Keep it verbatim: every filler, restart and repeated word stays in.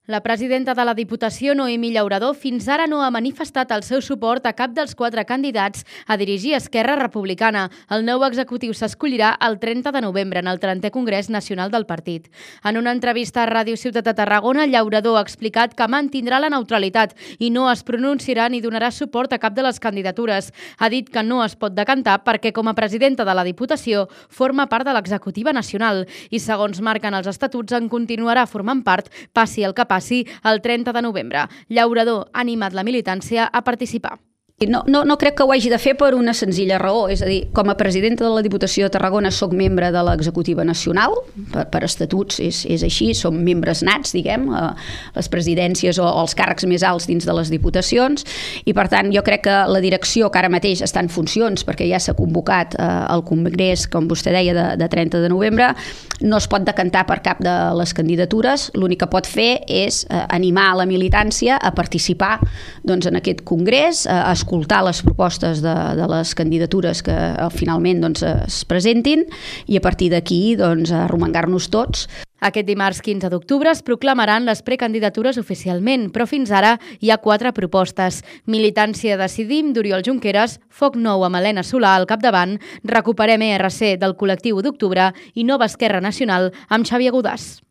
La presidenta de la Diputació, Noemí Llauradó, fins ara no ha manifestat el seu suport a cap dels quatre candidats a dirigir Esquerra Republicana. El nou executiu s'escollirà el trenta de novembre en el trentè Congrés Nacional del Partit. En una entrevista a Ràdio Ciutat de Tarragona, Llauradó ha explicat que mantindrà la neutralitat i no es pronunciarà ni donarà suport a cap de les candidatures. Ha dit que no es pot decantar perquè, com a presidenta de la Diputació, forma part de l'executiva nacional i, segons marquen els estatuts, en continuarà formant part, passi el que passi, el trenta de novembre. Llauradó ha animat la militància a participar. No, no, no crec que ho hagi de fer per una senzilla raó, és a dir, com a presidenta de la Diputació de Tarragona soc membre de l'executiva nacional, per, per estatuts és, és així, som membres nats, diguem, a les presidències o els càrrecs més alts dins de les diputacions, i per tant jo crec que la direcció, que ara mateix està en funcions perquè ja s'ha convocat eh, el Congrés, com vostè deia, de, de trenta de novembre, no es pot decantar per cap de les candidatures, l'únic que pot fer és eh, animar la militància a participar doncs, en aquest Congrés, a escoltar les propostes de, de les candidatures que eh, finalment doncs, es presentin i a partir d'aquí doncs, arromangar-nos tots. Aquest dimarts quinze d'octubre es proclamaran les precandidatures oficialment, però fins ara hi ha quatre propostes. Militància Decidim, d'Oriol Junqueras, Foc Nou amb Helena Solà al capdavant, Recuperem E R C del col·lectiu d'Octubre i Nova Esquerra Nacional amb Xavier Godàs.